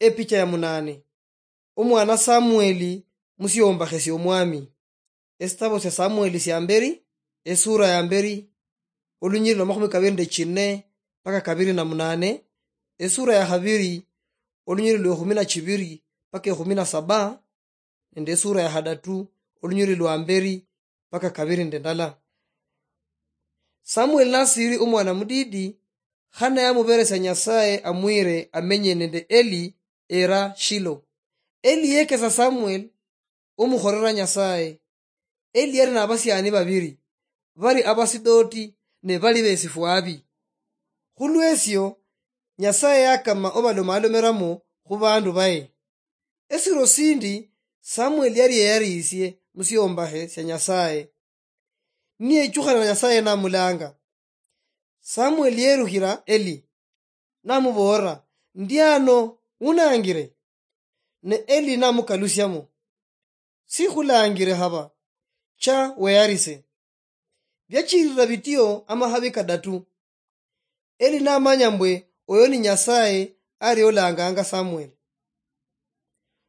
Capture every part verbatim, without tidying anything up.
Epicha ya munane. Omwana Samueli musiombakhesya omwami. Esitabo sya Samueli sya mberi, esura ya mberi, olunyiriri lwa makhumi kabiri nende chine paka kabiri na munane, esura ya khabiri, olunyiriri lwa ekhumi na chibiri paka ekhumi na saba, nende esura ya khadatu, olunyiriri lwa mberi paka kabiri nende ndala. Samueli nasiri omwana mudidi, Hana yamuberesia Nyasaye amwire amenye nende Eli era Shilo. Eli yekesa Samuel omukhorera Nyasaye. Eli yari nabasiani babiri, bari Abasidoti ne bali besifwabi. Khulwesio, Nyasaye yakama obalomalomeramo khu bandu baye. Esiro sindi Samuel yari yeyarisie musiombahe sia Nyasaye. Niyechukhana na Nyasaye namulanga. Samuel yerukhira Eli, namuboolera, "Ndi ano, unangire." Ne Eli namukalusiamo, "Sikhulangire haba, cha weyarise." Biachirira bitio amakhabi kadatu. Eli namanya mbwe oyo ni Nyasaye ari olanganga Samuel.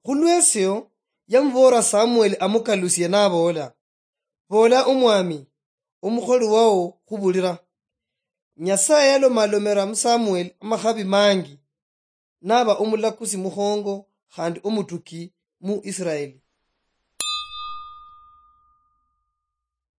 Khulwesio, yamuboolera Samuel amukalusie naboola, "Boola omwami, omukholi wao khubulira." Nyasaye yalomalomera mu Samuel amakhabi mangi, naba omulakusi mukhongo khandi omutuki mu Israeli.